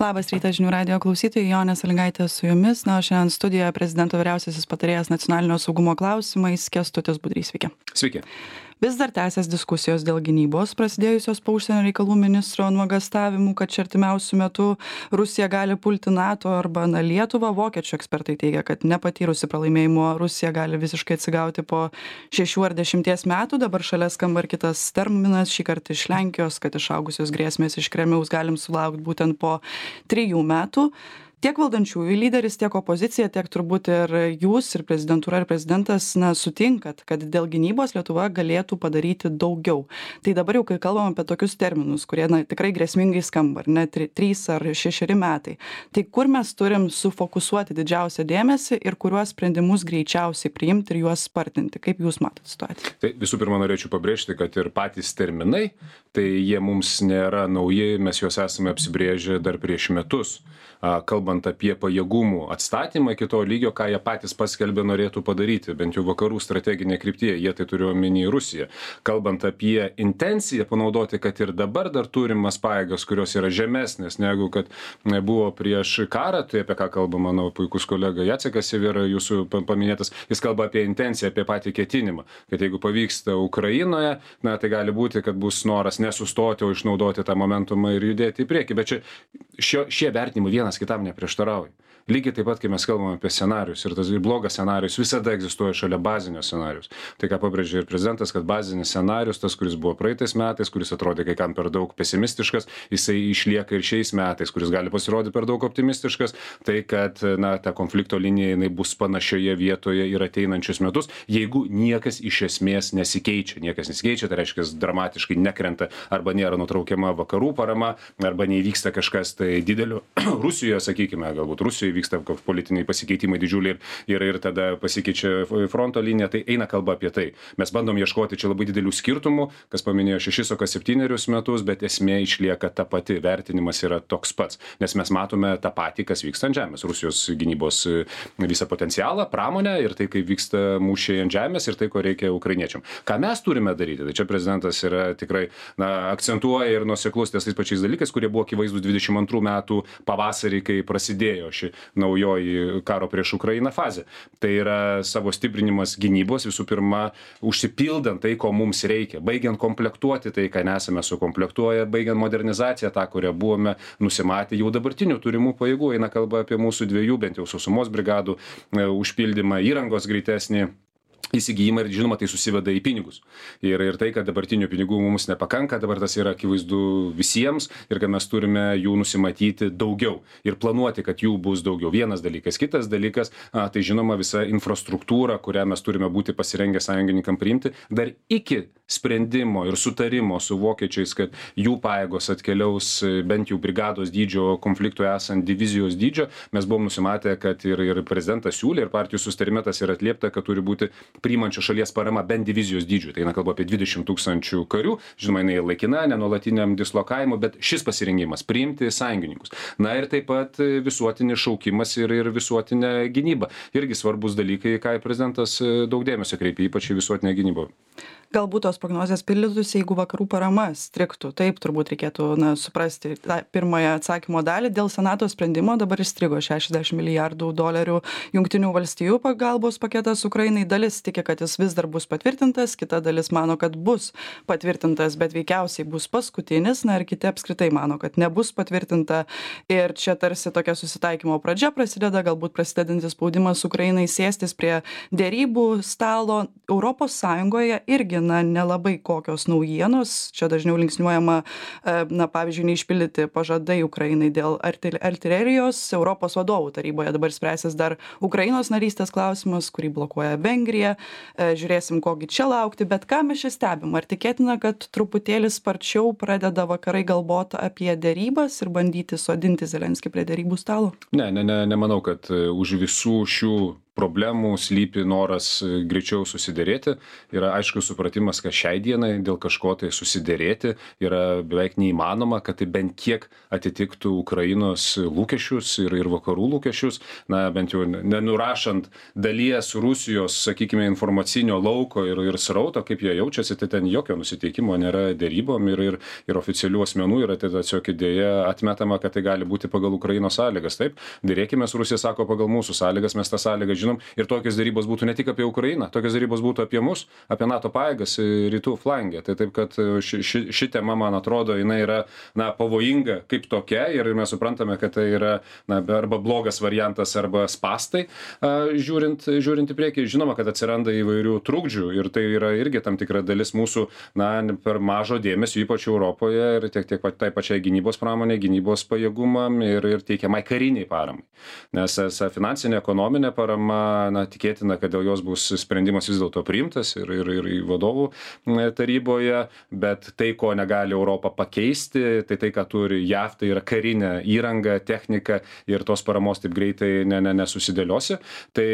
Labas rytas žinių radijo klausytojai, Jonė Sąlygaitė su jumis. Na, o šiandien studijoje prezidento vyriausiasis patarėjas nacionalinio saugumo klausimais Kęstutis Budrys. Sveiki. Sveiki. Vis dar tęsias diskusijos dėl gynybos, prasidėjusios po užsienio reikalų ministro nuogastavimų, kad čia artimiausių metų Rusija gali pulti NATO arba Lietuvą. Vokiečių ekspertai teigia, kad nepatyrusi pralaimėjimo Rusija gali visiškai atsigauti po 6 ar 10 metų. Dabar šalia skamba ir kitas terminas, šį kartą iš Lenkijos, kad išaugusios grėsmės iš Kremliaus galim sulaukti būtent po 3 metų. Tiek valdančiųjų lyderis, tiek opozicija, tiek turbūt ir jūs, ir prezidentūra, ir prezidentas, sutinkat, kad dėl gynybos Lietuva galėtų padaryti daugiau. Tai dabar jau, kai kalbam apie tokius terminus, kurie tikrai grėsmingai skamba, ar ne, 3 ar 6 metai, tai kur mes turim sufokusuoti didžiausią dėmesį ir kuriuos sprendimus greičiausiai priimti ir juos spartinti? Kaip jūs matot situaciją? Tai visų pirma, norėčiau pabrėžti, kad ir patys terminai, tai jie mums nėra nauji, mes juos esame apsibrėžę dar prieš metus. Kalbant apie pajėgumų atstatymą iki to lygio, ką jie patys paskelbė norėtų padaryti, bent jau vakarų strateginė kryptyje, jie tai turiu omeny Rusiją. Kalbant apie intenciją panaudoti, kad ir dabar dar turimas pajėgas, kurios yra žemesnės negu kad buvo prieš karą, tai apie ką kalba mano puikus kolega Jacekas Severa, jūsų paminėtas, jis kalba apie intenciją, apie patį ketinimą, kad jeigu pavyksta Ukrainoje, tai gali būti, kad bus noras nesustoti, o išnaudoti tą momentumą ir judėti į priekį, bet šie vertinimai vienas kitam neprieštarauja. Lygiai taip pat, kai mes kalbame apie scenarius, ir tas blogas scenarius visada egzistuoja šalia bazinio scenarius. Tai ką pabrėžė ir prezidentas, kad bazinis scenarius, tas, kuris buvo praeitais metais, kuris atrodė kai kam per daug pesimistiškas, jisai išlieka ir šiais metais, kuris gali pasirodyti per daug optimistiškas, tai kad ta konflikto linija jinai bus panašioje vietoje ir ateinančius metus, jeigu niekas iš esmės nesikeičia. Niekas nesikeičia, tai reiškia, dramatiškai nekrenta arba nėra nutraukiama vakarų parama, arba neįvyksta kažkas tai didelio Rusijoje, sakykime, galbūt Rusijoje vyksta politiniai pasikeitimai didžiuliai ir tada pasikeičia fronto linija, tai eina kalba apie tai. Mes bandom ieškoti čia labai didelių skirtumų, kas paminėjo 6 ar 7 metus, bet esmė išlieka ta pati, vertinimas yra toks pats, nes mes matome tą patį, kas vyksta ant žemės, Rusijos gynybos visą potencialą, pramonę ir tai, kaip vyksta mūšiai ant žemės ir tai, ko reikia ukrainiečiam. Ką mes turime daryti? Tai čia prezidentas yra tikrai akcentuoja ir nuoseklus ties tais pačiais dalykais, kurie buvo akivaizdūs 22 metų pavasarį, kai prasidėjo ši naujoji karo prieš Ukrainą fazė. Tai yra savo stiprinimas gynybos, visų pirma, užsipildant tai, ko mums reikia, baigiant komplektuoti tai, ką nesame sukomplektuoję, baigiant modernizaciją tą, kurią buvome nusimatę jau dabartinių turimų pajėgų. Eina kalba apie mūsų 2, bent jau sausumos brigadų užpildymą, įrangos greitesnį įsigijimą ir žinoma tai susiveda į pinigus. Ir tai, kad dabartinių pinigų mums nepakanka, dabar tas yra akivaizdu visiems ir kad mes turime jų nusimatyti daugiau ir planuoti, kad jų bus daugiau. Vienas dalykas. Kitas dalykas, tai žinoma visa infrastruktūra, kurią mes turime būti pasirengę sąjungininkam priimti, dar iki sprendimo ir sutarimo su vokiečiais, kad jų pajėgos atkeliaus bent jau brigados dydžio konfliktų esant divizijos dydžio, mes buvom nusimatę, kad ir prezidentas siūlė, ir partijų susitarimetas yra atliepta, kad turi būti priimančių šalies parama bent divizijos dydžių. Tai eina kalba apie 20 000 karių, žinoma, jinai laikina, nenuolatiniam dislokavimui, bet šis pasirengimas priimti sąjungininkus. Na ir taip pat visuotinis šaukimas ir visuotinė gynyba. Irgi svarbus dalykai, ką prezidentas daug dėmesio kreipia, ypač į visuotinę gynybą. Galbūt tos prognozės pildytųsi, jeigu vakarų parama strigtų. Taip turbūt reikėtų suprasti tą pirmąją atsakymo dalį. Dėl Senato sprendimo dabar įstrigo $60 milijardų Jungtinių valstijų pagalbos paketas Ukrainai. Dalis tiki, kad jis vis dar bus patvirtintas, kita dalis mano, kad bus patvirtintas, bet veikiausiai bus paskutinis. Na ir kiti apskritai mano, kad nebus patvirtinta. Ir čia tarsi tokia susitaikymo pradžia prasideda, galbūt prasidedantis spaudimas Ukrainai sėstis prie derybų stalo. Europos Sąjungoje irgi nelabai kokios naujienos. Čia dažniau linksniuojama, pavyzdžiui, neišpildyti pažadai Ukrainai dėl artilerijos. Europos vadovų taryboje dabar spręsis dar Ukrainos narystės klausimas, kurį blokuoja Vengrija. Žiūrėsim, kogi čia laukti, bet ką mes čia stebim? Ar tikėtina, kad truputėlį sparčiau pradeda vakarai galvoti apie derybas ir bandyti sodinti Zelenskį prie derybų stalo? Nemanau, kad už visų šių problemų slypi noras greičiau susiderėti. Yra aišku supratimas, kad šiai dienai dėl kažko tai susiderėti yra beveik neįmanoma, kad tai bent kiek atitiktų Ukrainos lūkesčius ir vakarų lūkesčius. Na, bent jau nenurašant dalies Rusijos, sakykime, informacinio lauko ir srauto, kaip jie jaučiasi, tai ten jokio nusiteikimo nėra dėrybom ir oficialių asmenų yra tiesiog idėja atmetama, kad tai gali būti pagal Ukrainos sąlygas. Taip, dėrėkimės, Rusija sako pagal mūsų sąlygas, mes tą sąlygą žinom ir tokios dėrybos būtų ne tik apie Ukrainą, tokios dėrybos būtų apie mus, apie NATO pajėgas rytų flangę. Tai taip, kad ši tema, man atrodo, jinai yra pavojinga kaip tokia ir mes suprantame, kad tai yra arba blogas variantas, arba spastai, žiūrint į priekį. Žinoma, kad atsiranda įvairių trukdžių ir tai yra irgi tam tikra dalis mūsų per mažo dėmesio, ypač Europoje ir tiek tai pačiai gynybos pramonė, gynybos pajėgumam ir teikiamai kariniai paramai. Nes finansinė, ekonominė parama, tikėtina, kad dėl jos bus sprendimas vis dėlto priimtas ir vadovų taryboje, bet tai, ko negali Europą pakeisti, tai ką turi JAV, tai yra karinė įranga, technika ir tos paramos taip greitai nesusidėliosi. Tai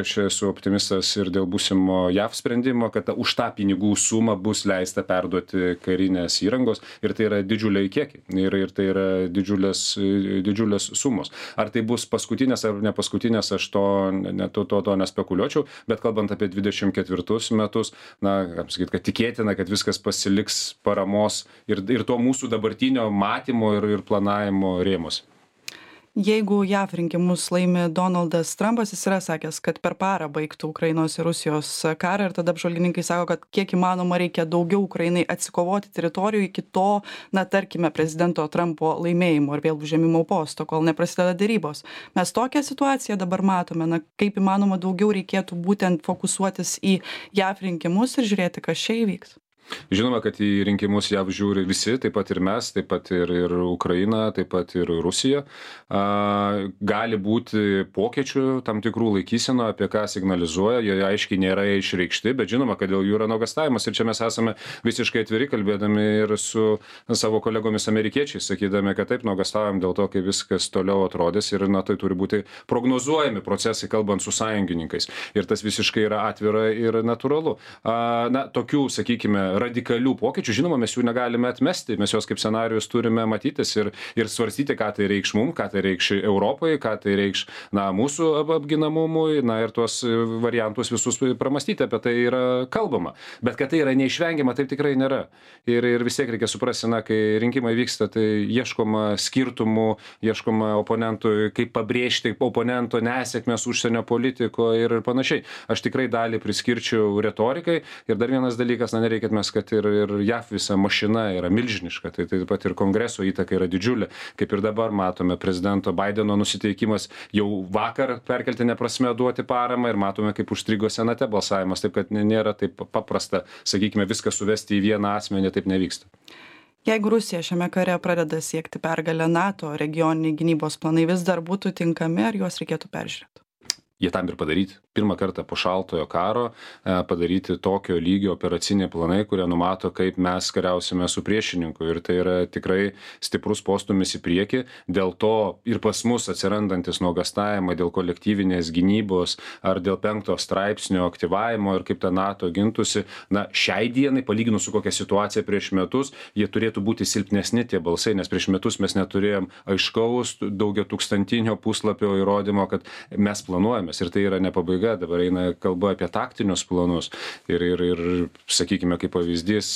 aš esu optimistas ir dėl būsimo JAV sprendimo, kad už tą pinigų sumą bus leista perduoti karinės įrangos ir tai yra didžiuliai kiekiai ir tai yra didžiulės sumos. Ar tai bus paskutinės ar ne paskutinės, aš to nespekuliuočiau, bet kalbant apie 24 metus, kad tikėtina, kad viskas pasiliks paramos ir to mūsų dabartinio matymo ir planavimo rėmus. Jeigu JAV rinkimus laimi Donaldas Trumpas, jis yra sakęs, kad per parą baigtų Ukrainos ir Rusijos karą ir tada apžvalgininkai sako, kad kiek įmanoma reikia daugiau Ukrainai atsikovoti teritorijų iki to, tarkime, prezidento Trumpo laimėjimo ir vėl užėmimo posto, kol neprasideda dėrybos. Mes tokią situaciją dabar matome, kaip įmanoma daugiau reikėtų būtent fokusuotis į JAV rinkimus ir žiūrėti, kas čia įvyks. Žinoma, kad į rinkimus JAV žiūri visi, taip pat ir mes, taip pat ir Ukraina, taip pat ir Rusija. Gali būti pokyčių tam tikrų laikysenų, apie ką signalizuoja, jie aiškiai nėra išreikšti, bet žinoma, kad dėl jų yra nuogąstavimas ir čia mes esame visiškai atviri, kalbėdami ir su savo kolegomis amerikiečiais, sakydami, kad taip nuogąstavom dėl to, kaip viskas toliau atrodys ir tai turi būti prognozuojami procesai, kalbant su sąjungininkais. Ir tas visiškai yra atvira ir natūralu. Tokių, sakykime, radikalių pokyčių, žinoma, mes jų negalime atmesti, mes juos kaip scenarijus turime matytis ir svarstyti, ką tai reikš mums, ką tai reikš Europai, ką tai reikš mūsų apginamumui, ir tuos variantus visus pramastyti, apie tai yra kalbama. Bet kad tai yra neišvengiama, taip tikrai nėra. Ir vis tiek reikia suprasti, kai rinkimai vyksta, tai ieškoma skirtumų, ieškoma oponentui, kaip pabrėžti oponento nesėkmės užsienio politikoje ir panašiai. Aš tikrai dalį priskirčiau retorikai ir dar vienas dalykas, nereikia kad ir JAV visa mašina yra milžiniška, tai taip pat ir kongreso įtaka yra didžiulė. Kaip ir dabar matome, prezidento Baideno nusiteikimas jau vakar perkeltinė prasme duoti paramą ir matome, kaip užstrigo senate balsavimas, taip kad nėra taip paprasta, sakykime, viską suvesti į vieną asmenį, taip nevyksta. Jeigu Rusija šiame kare pradeda siekti pergalę, NATO regioniniai gynybos planai vis dar būtų tinkami, ar juos reikėtų peržiūrėti? Jie tam ir padaryti. Pirmą kartą po šaltojo karo padaryti tokio lygio operaciniai planai, kurie numato, kaip mes kariausime su priešininku. Ir tai yra tikrai stiprus postūmis į priekį. Dėl to ir pas mus atsirandantis nuogąstavimai dėl kolektyvinės gynybos ar dėl 5 straipsnio aktyvavimo ir kaip ta NATO gintųsi, šiai dienai, palyginus su kokia situacija prieš metus, jie turėtų būti silpnesni tie balsai, nes prieš metus mes neturėjom aiškaus daugiatūkstantinio puslapio įrodymo, kad mes planuojamės. Ir tai yra ne pabaiga. Dabar eina kalba apie taktinius planus ir sakykime, kaip pavyzdys,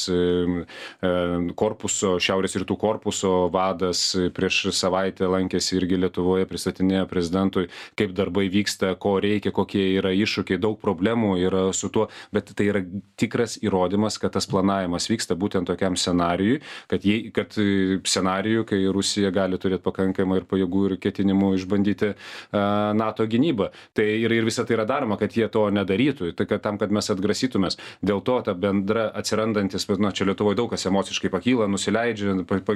Šiaurės rytų korpuso vadas prieš savaitę lankėsi irgi Lietuvoje, pristatinėjo prezidentui, kaip darbai vyksta, ko reikia, kokie yra iššūkiai, daug problemų yra su tuo, bet tai yra tikras įrodymas, kad tas planavimas vyksta būtent tokiam scenarijui, kad scenarijui, kai Rusija gali turėti pakankamai ir pajėgų ir ketinimų išbandyti NATO gynybą. Tai ir visą tai yra daroma, kad jie to nedarytų, tai kad tam, kad mes atgrasytumės. Dėl to ta bendra atsirandantis, čia Lietuvoje daug kas emociškai pakyla, nusileidžia,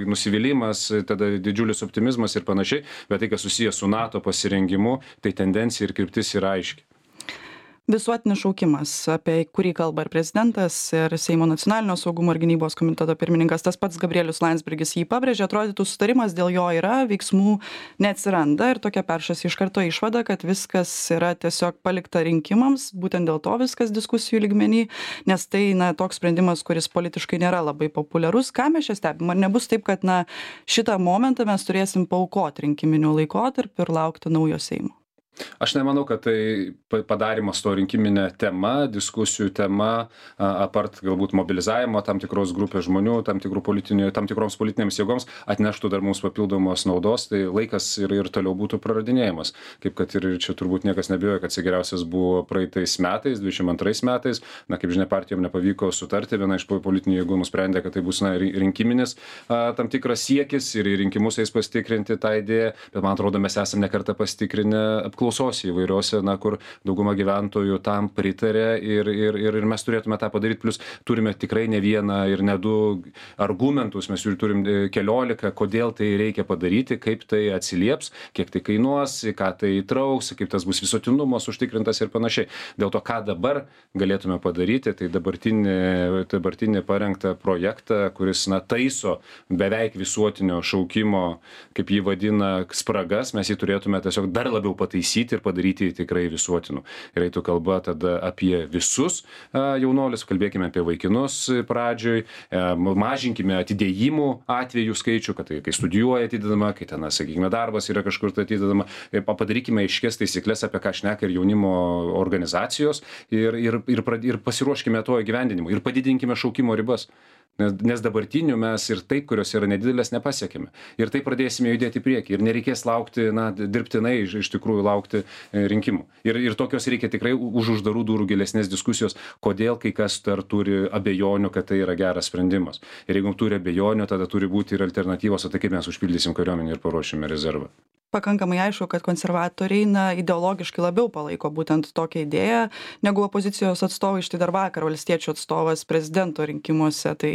nusivylimas, tada didžiulis optimizmas ir panašiai, bet tai, kas susijęs su NATO pasirengimu, tai tendencija ir kryptis yra aiški. Visuotinis šaukimas, apie kurį kalba ir prezidentas, ir Seimo nacionalinio saugumo ir gynybos komiteto pirmininkas, tas pats Gabrielius Landsbergis jį pabrėžė, atrodytų sutarimas dėl jo yra, veiksmų neatsiranda ir tokia peršasi iš karto išvada, kad viskas yra tiesiog palikta rinkimams, būtent dėl to viskas diskusijų lygmenį, nes tai toks sprendimas, kuris politiškai nėra labai populiarus. Ką mes čia stebim? Ar nebus taip, kad šitą momentą mes turėsim paaukoti rinkiminiu laikotarpiu ir laukti naujo Seimo? Aš nemanau, kad tai padarimas to rinkiminė tema, diskusijų tema, apart galbūt mobilizavimo tam tikros grupės žmonių, tam tikroms politinėms jėgoms atneštų dar mums papildomos naudos, tai laikas ir toliau būtų praradinėjimas. Kaip kad ir čia turbūt niekas nebijoja, kad geriausias buvo praeitais metais, 22 metais, kaip žinia, partijom nepavyko sutarti, viena iš politinių jėgų nusprendė, kad tai bus rinkiminis tam tikras siekis ir rinkimus eis pasitikrinti tą idėją, bet man atrodo, mes esame nekartą pasitikrinę apklausose įvairiose, kur dauguma gyventojų tam pritarė ir mes turėtume tą padaryti, plus turime tikrai ne vieną ir ne du argumentus, mes jų turim 14, kodėl tai reikia padaryti, kaip tai atsilieps, kiek tai kainuos, ką tai įtrauks, kaip tas bus visuotinumas užtikrintas ir panašiai. Dėl to, ką dabar galėtume padaryti, tai dabartinį parengtą projektą, kuris taiso beveik visuotinio šaukimo, kaip jį vadina, spragas, mes jį turėtume tiesiog dar labiau pataisyti ir padaryti tikrai visuotinu. Ir eitų kalba tada apie visus jaunuolius, kalbėkime apie vaikinus pradžioj, mažinkime atidėjimų atvejų skaičių, kad tai, kai studijuoja atidedama, kai ten, sakykime, darbas yra kažkur atidedama, padarykime aiškias taisyklės, apie ką šneka ir jaunimo organizacijos ir pasiruoškime to įgyvendinimui ir padidinkime šaukimo ribas. Nes dabartinių mes ir taip, kurios yra nedidelės, nepasiekime. Ir taip pradėsime judėti į priekį. Ir nereikės laukti, dirbtinai iš tikrųjų laukti rinkimų. Ir tokios reikia tikrai už uždarų durų gilesnės diskusijos, kodėl kai kas dar turi abejonių, kad tai yra geras sprendimas. Ir jeigu turi abejonių, tada turi būti ir alternatyvos, o tai kaip mes užpildysim kariuomenę ir paruošime rezervą. Pakankamai aišku, kad konservatoriai ideologiškai labiau palaiko būtent tokią idėją negu opozicijos atstovai. Štai dar vakar valstiečių atstovas prezidento rinkimuose, tai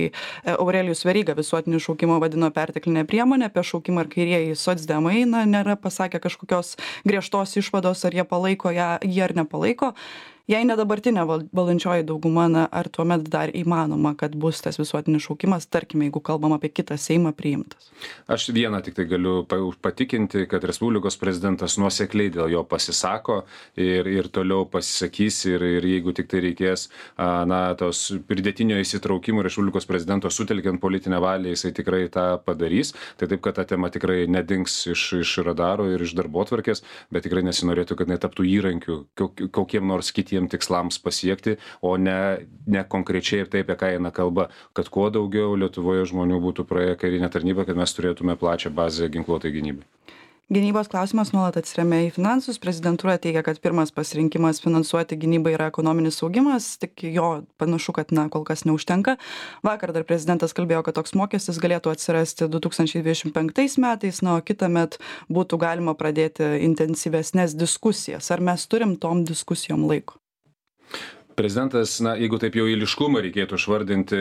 Aurelijus Veryga visuotinį šaukimą vadino perteklinę priemonę, apie šaukimą ir kairieji socdemai nėra pasakę kažkokios griežtos išvados, ar jie palaiko jį ar nepalaiko. Jei ne dabartinė valdančioji dauguma, ar tuomet dar įmanoma, kad bus tas visuotinis šaukimas, tarkime, jeigu kalbam apie kitą Seimą, priimtas? Aš vieną tik tai galiu patikinti, kad Respublikos prezidentas nuosekliai dėl jo pasisako ir toliau pasisakys ir jeigu tik tai reikės tos pridėtinio įsitraukimo Respublikos prezidento sutelkiant politinę valią, jisai tikrai tą padarys. Tai taip, kad ta tema tikrai nedings iš radaro ir iš darbotvarkės, bet tikrai nesinorėtų, kad netaptų įrankių kokiem nors kitiem tikslams pasiekti, o ne konkrečiai ir taip, apie ką eina kalba, kad kuo daugiau Lietuvoje žmonių būtų praėję karinę tarnybą, kad mes turėtume plačią bazę ginkluotai gynybai. Gynybos klausimas nuolat atsiremia į finansus. Prezidentūra teigia, kad pirmas pasirinkimas finansuoti gynybą yra ekonominis augimas, tik jo panašu, kad kol kas neužtenka. Vakar dar prezidentas kalbėjo, kad toks mokestis galėtų atsirasti 2025 metais, o kitąmet būtų galima pradėti intensyvesnės diskusijas. Ar mes turim tom diskusijom laiko? Prezidentas, jeigu taip jau eiliškumą reikėtų išvardinti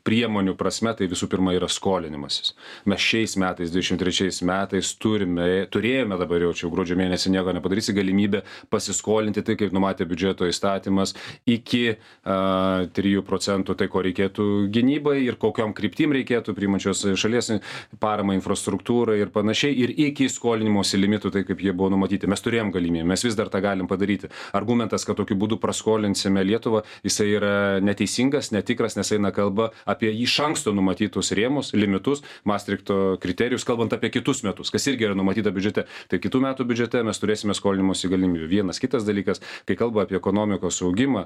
priemonių prasme, tai visų pirma yra skolinimasis. Mes šiais metais, 23 metais turėjome dabar jau gruodžio mėnesį nieko nepadarysi galimybę pasiskolinti, tai kaip numatė biudžeto įstatymas, iki 3%, tai ko reikėtų gynybai ir kokiom kryptim reikėtų priimančios šalies paramą infrastruktūrai ir panašiai, ir iki skolinimosi limitų, tai kaip jie buvo numatyti. Mes turėjom galimybę, mes vis dar tą galim padaryti. Argumentas, kad tokiu būdu praskolinsime Lietuvą, jisai yra neteisingas, netikras, nes eina kalba apie iš anksto numatytus rėmus, limitus, Maastrichto kriterijus, kalbant apie kitus metus, kas irgi yra numatyta biudžete. Tai kitų metų biudžete mes turėsime skolinimosi galimybių. Vienas kitas dalykas, kai kalba apie ekonomikos augimą,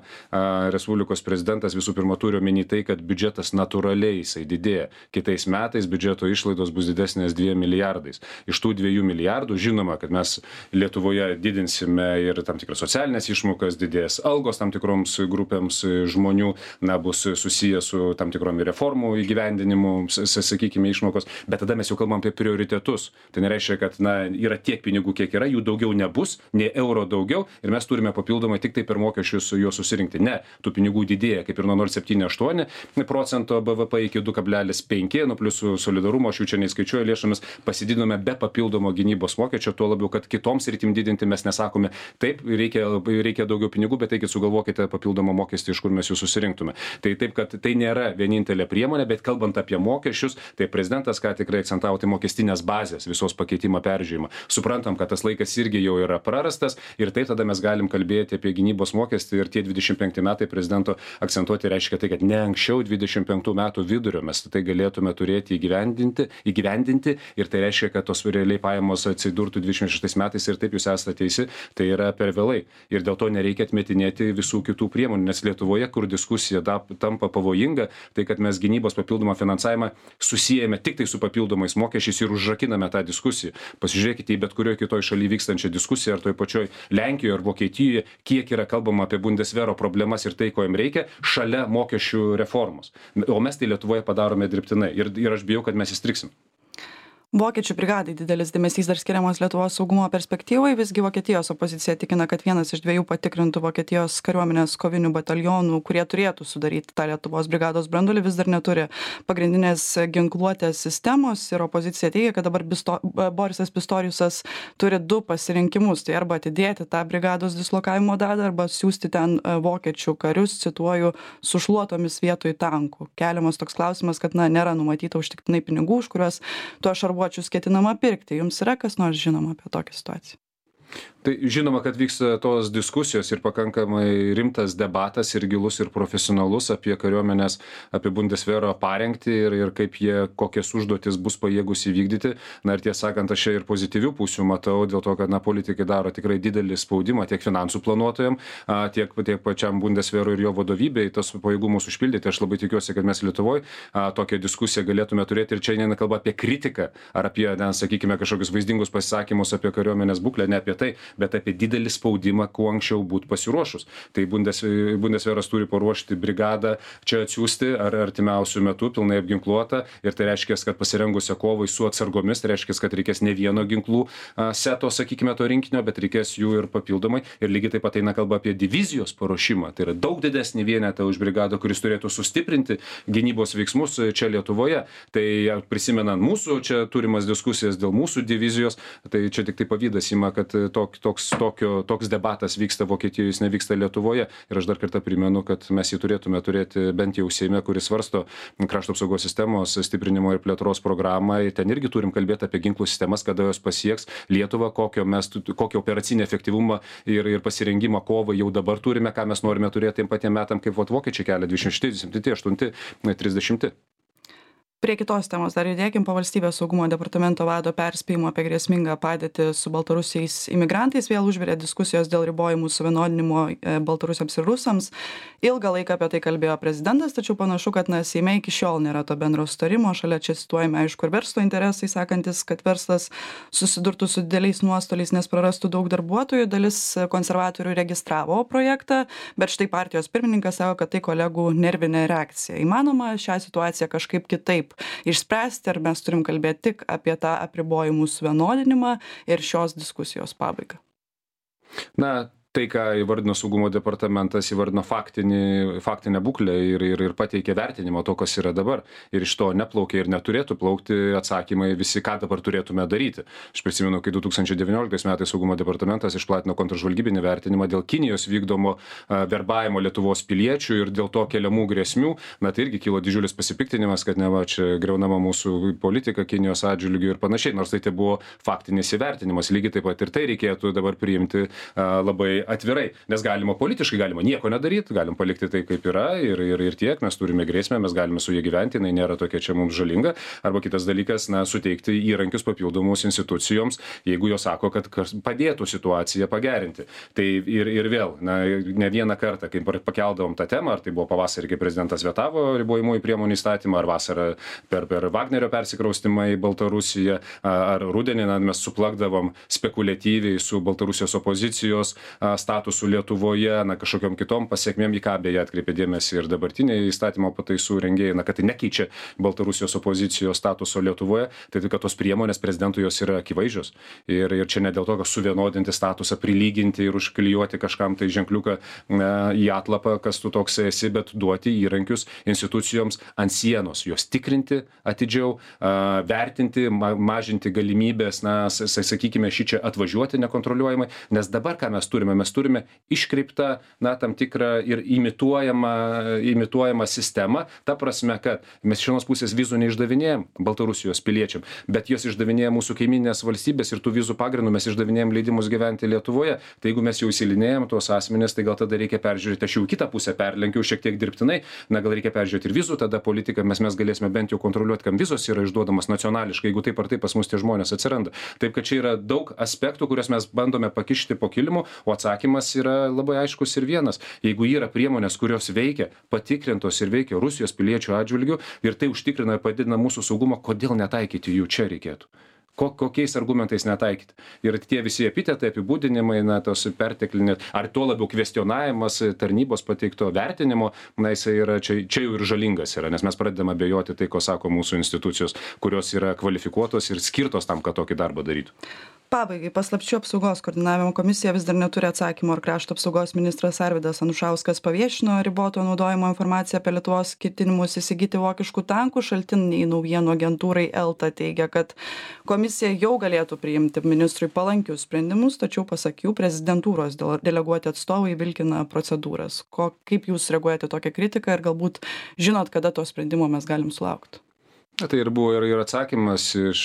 Respublikos prezidentas visų pirma turi omeny tai, kad biudžetas natūraliai jisai didėja. Kitais metais biudžeto išlaidos bus didesnės 2 milijardais. Iš tų 2 milijardų žinoma, kad mes Lietuvoje didinsime ir tam tikras socialinės išmokas, didės algos tam tikroms grupėms žmonių, bus susijęs su tam tikrom reformų įgyvendinimu, sakykime, išmokos, bet tada mes jau kalbam apie prioritetus. Tai nereiškia, kad yra tiek pinigų, kiek yra, jų daugiau nebus, nei euro daugiau ir mes turime papildomai tik tai per mokesčius juos susirinkti. Ne, tų pinigų didėja kaip ir nuo 0,78% BVP iki 2,5, plus solidarumo, aš jų čia neįskaičiuoju lėšomis, pasididinome be papildomo gynybos mokesčio, tuo labiau, kad kitoms sritim didinti mes nesakome, taip, reikia daugiau pinigų, bet taigi sugalvokite papildomą mokestį, iš kur mes jų susirinktume. Tai taip, kad tai nėra vienintelė priemonė, bet kalbant apie mokesčius, tai prezidentas ką tikrai akcentavo, tai mokestinės bazės visos pakeitimo peržiūrėjimą. Suprantam, kad tas laikas irgi jau yra prarastas ir taip tada mes galim kalbėti apie gynybos mokestį ir tie 25 metai prezidento akcentuoti reiškia tai, kad ne anksčiau 25 metų vidurio mes tai galėtume turėti įgyvendinti ir tai reiškia, kad tos realiai pajamos atsidurtų 26 metais ir taip jūs esate teisi, tai yra per vėlai. Ir dėl to nereikia atmetinėti visų kitų priemonių, nes Lietuvoje, kur diskusija tampa pavojinga, tai kad mes gynybos papildomą finansavimą susijęme tik tai su papildomais mokesčiais ir užrakiname tą diskusiją. Pasižiūrėkite į bet kurioje kitoje šalyje vykstančią diskusiją, ar toj pačioj Lenkijoje ar Vokietijoje, kiek yra kalbama apie Bundesvero problemas ir tai, ko jam reikia, šalia mokesčių reformos. O mes tai Lietuvoje padarome dirbtinai ir aš bijau, kad mes įstriksim. Vokiečių brigadai didelis dėmesys dar skiriamas Lietuvos saugumo perspektyvai, visgi Vokietijos opozicija tikina, kad vienas iš 2 patikrintų Vokietijos kariuomenės kovinių batalionų, kurie turėtų sudaryti tą Lietuvos brigados branduolį, vis dar neturi pagrindinės ginkluotės sistemos ir opozicija teigia, kad dabar Borisas Pistoriusas turi 2 pasirinkimus, tai arba atidėti tą brigados dislokavimo datą, arba siūsti ten vokiečių karius, cituoju, su šluotomis vietoj tankų. Keliamas toks klausimas, kad nėra numatyta užtektinai pinigų, už kuriuos tuo šarvuočius ketinama pirkti. Jums yra kas nors žinoma apie tokią situaciją? Tai žinoma, kad vyksta tos diskusijos ir pakankamai rimtas debatas ir gilus ir profesionalus apie kariuomenės, apie Bundesvero parengtį ir kaip jie, kokias užduotis bus pajėgus įvykdyti. Ir tiesą sakant, aš čia ir pozityvių pusių matau, dėl to, kad politikai daro tikrai didelį spaudimą tiek finansų planuotojam, tiek pačiam Bundesverui ir jo vadovybei tos pajėgumus užpildyti. Aš labai tikiuosi, kad mes Lietuvoje tokią diskusiją galėtume turėti ir čia neina kalba apie kritiką ar apie, sakykime, kažkokius vaizdingus pasisakymus apie kariuomenės būklę, ne apie tai, bet apie didelį spaudimą, kuo anksčiau būti pasiruošus. Tai Bundesveras turi paruošti brigadą čia atsiųsti ar artimiausių metų pilnai apginkluotą ir tai reiškia, kad pasirengusią kovai su atsargomis, tai reiškia, kad reikės ne vieno ginklų seto, sakykime, to rinkinio, bet reikės jų ir papildomai. Ir lygiai taip pat eina kalba apie divizijos paruošimą. Tai yra daug didesnį vienetą už brigadą, kuris turėtų sustiprinti gynybos veiksmus čia Lietuvoje. Tai prisimenant mūsų čia turimas diskusijas dėl mūsų divizijos, tai čia tik tai pavydas ima, kad toks debatas vyksta Vokietijoje, jis nevyksta Lietuvoje. Ir aš dar kartą primenu, kad mes jį turėtume turėti bent jau Seime, kuris svarsto krašto apsaugos sistemos stiprinimo ir plėtros programą. Ten irgi turim kalbėti apie ginklų sistemas, kada jos pasieks Lietuvą, kokio operacinį efektyvumą ir pasirengimą kovai jau dabar turime, ką mes norime turėti tiem patiem metam, kaip vokiečiai kelia 228, 30. Prie kitos temos dar judėkim. Po Valstybės saugumo departamento vado perspėjimo apie grėsmingą padėtį su baltarusiais imigrantais vėl užvirė diskusijos dėl ribojimų suvienodinimo baltarusiams ir rusams. Ilgą laiką apie tai kalbėjo prezidentas, tačiau panašu, kad Seime iki šiol nėra to bendro sutarimo. Šalia čia cituojame, aišku, ir verslo interesai, sakantis, kad verslas susidurtų su dideliais nuostoliais, nes prarastų daug darbuotojų. Dalis konservatorių registravo projektą, bet štai partijos pirmininkas sako, kad tai kolegų nervinė reakcija. Įmanoma šią situaciją kažkaip kitaip išspręsti, ar mes turim kalbėti tik apie tą apribojimų suvienodinimą ir šios diskusijos pabaigą? Tai, ką įvardino saugumo departamentas, įvardino faktinę būklę ir pateikė vertinimą to, kas yra dabar. Ir iš to neplaukia ir neturėtų plaukti atsakymai visi, ką dabar turėtume daryti. Aš prisimenu, kai 2019 metais saugumo departamentas išplatino kontržvalgybinį vertinimą dėl Kinijos vykdomo verbavimo Lietuvos piliečių ir dėl to keliamų grėsmių. Tai irgi kilo didžiulis pasipiktinimas, kad neva čia greunama mūsų politika Kinijos atžvilgiu ir panašiai. Nors tai buvo faktinis įvertinimas. Lygiai taip pat ir tai reikėtų dabar priimti labai atvirai, nes galima politiškai, galima nieko nedaryti, galim palikti tai, kaip yra ir tiek, mes turime grėsmę, mes galime su jie gyventi, jinai nėra tokia čia mums žalinga, arba kitas dalykas, suteikti įrankius papildomus institucijoms, jeigu jos sako, kad padėtų situaciją pagerinti. Tai ir vėl, ne vieną kartą, kai pakeldavom tą temą, ar tai buvo pavasarį, kai prezidentas vetavo ribojimųjų priemonių įstatymą, ar vasarą per Vagnerio persikraustymą į Baltarusiją, ar rudenį mes suplakdavom spekuliatyviai su Baltarusijos opozicijos statusu Lietuvoje, na, kažkokiom kitom pasiekmėm, į ką beje atkreipė dėmesį ir dabartiniai įstatymo pataisų rengėjai, na, kad tai nekeičia Baltarusijos opozicijos statuso Lietuvoje, tai kad tos priemonės prezidentui jos yra akivaizdžios. Ir čia ne dėl to, kad suvienodinti statusą, prilyginti ir užklijuoti kažkam tai ženkliuką į atlapą, kas tu toks esi, bet duoti įrankius institucijoms ant sienos, juos tikrinti atidžiau, vertinti, mažinti galimybės, na, sakykime, šičia atvažiuoti nekontroliuojamai, nes dabar ką mes turime iškreiptą, na, tam tikrą ir imituojamą sistemą, ta prasme, kad mes iš vienos pusės vizų neišdavinėjom Baltarusijos piliečiam, bet jos išdavinėja mūsų kaiminės valstybės ir tų vizų pagrindų mes išdavinėjom leidimus gyventi Lietuvoje. Tai jeigu mes jau įsilinėjom tuos asmenis, tai gal tada reikia peržiūrėti, aš jau kitą pusę perlenkiau šiek tiek dirbtinai, na gal reikia peržiūrėti ir vizų tada politiką, mes galėsime bent jau kontroliuoti, kam vizos yra išduodamas nacionališkai, jeigu taip ar taip pas mus tie žmonės atsiranda. Taip kad čia yra daug aspektų, kuriuos mes bandome pakišti po kilimu, o atsakymas yra labai aiškus ir vienas. Jeigu yra priemonės, kurios veikia, patikrintos ir veikia Rusijos piliečių atžvilgių ir tai užtikrina ir padidina mūsų saugumą, kodėl netaikyti jų čia reikėtų? Kokiais argumentais netaikyti. Ir tie visi epitetai, apibūdinimai, na, tos perteklinės, ar tuo labiau kvestionavimas tarnybos pateikto vertinimo, na, jisai yra čia jau ir žalingas yra, nes mes pradedame abejoti tai, ko sako mūsų institucijos, kurios yra kvalifikuotos ir skirtos tam, kad tokį darbą darytų. Pabaigai, paslapčių apsaugos koordinavimo komisija vis dar neturi atsakymo, ar krašto apsaugos ministras Arvydas Anušauskas paviešino riboto naudojimo informaciją apie Lietuvos ketinimus įsigyti vokiškų tankų. Šaltiniai naujienų agentūrai Elta teigia, kad komisija jau galėtų priimti ministrui palankius sprendimus, tačiau pasak jų prezidentūros deleguoti atstovai vilkina procedūras. Kaip jūs reaguojate tokią kritiką ir galbūt žinot, kada to sprendimo mes galim sulaukti? Tai ir buvo ir atsakymas iš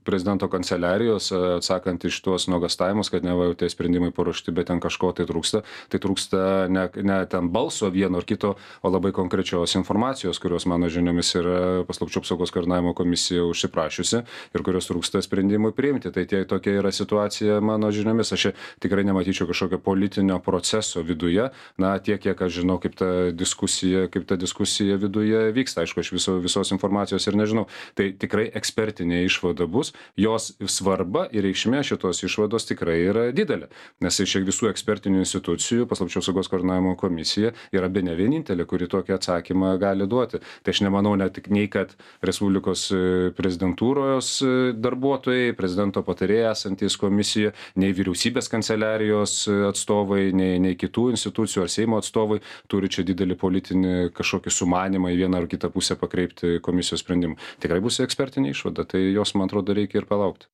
prezidento kanceliarijos, atsakant iš tuos nuogastavimus, kad neva jau tie sprendimai paruošti, bet ten kažko tai trūksta. Tai trūksta ne ten balso vieno ar kito, o labai konkrečios informacijos, kurios mano žiniomis yra paslapčių apsaugos koordinavimo komisija užsiprašiusi ir kurios trūksta sprendimui priimti. Tai tokia yra situacija mano žiniomis. Aš tikrai nematyčiau kažkokio politinio proceso viduje. Na, tiek, kiek aš žinau, kaip ta diskusija viduje vyksta. Aišku, aš visos informacijos ir nežinau. Tai tikrai ekspertinė išvada bus, jos svarba ir reikšmė šitos išvados tikrai yra didelė. Nes iš visų ekspertinių institucijų paslapčių apsaugos koordinavimo komisija yra bene vienintelė, kuri tokį atsakymą gali duoti. Tai aš nemanau nei kad Respublikos prezidentūros darbuotojai, prezidento patarėjai esantys komisijoje, nei vyriausybės kanceliarijos atstovai, nei kitų institucijų ar Seimo atstovai turi čia didelį politinį kažkokį sumanimą į vieną ar kitą pusę pakreipti komisijos sprendimą. Tikrai bus ekspertinė išvada, tai jos, man atrodo, reikia ir palaukti.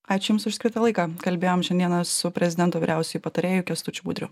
Ačiū Jums už skirtą laiką. Kalbėjom šiandieną su prezidento vyriausiuoju patarėju Kęstučiu Budriu.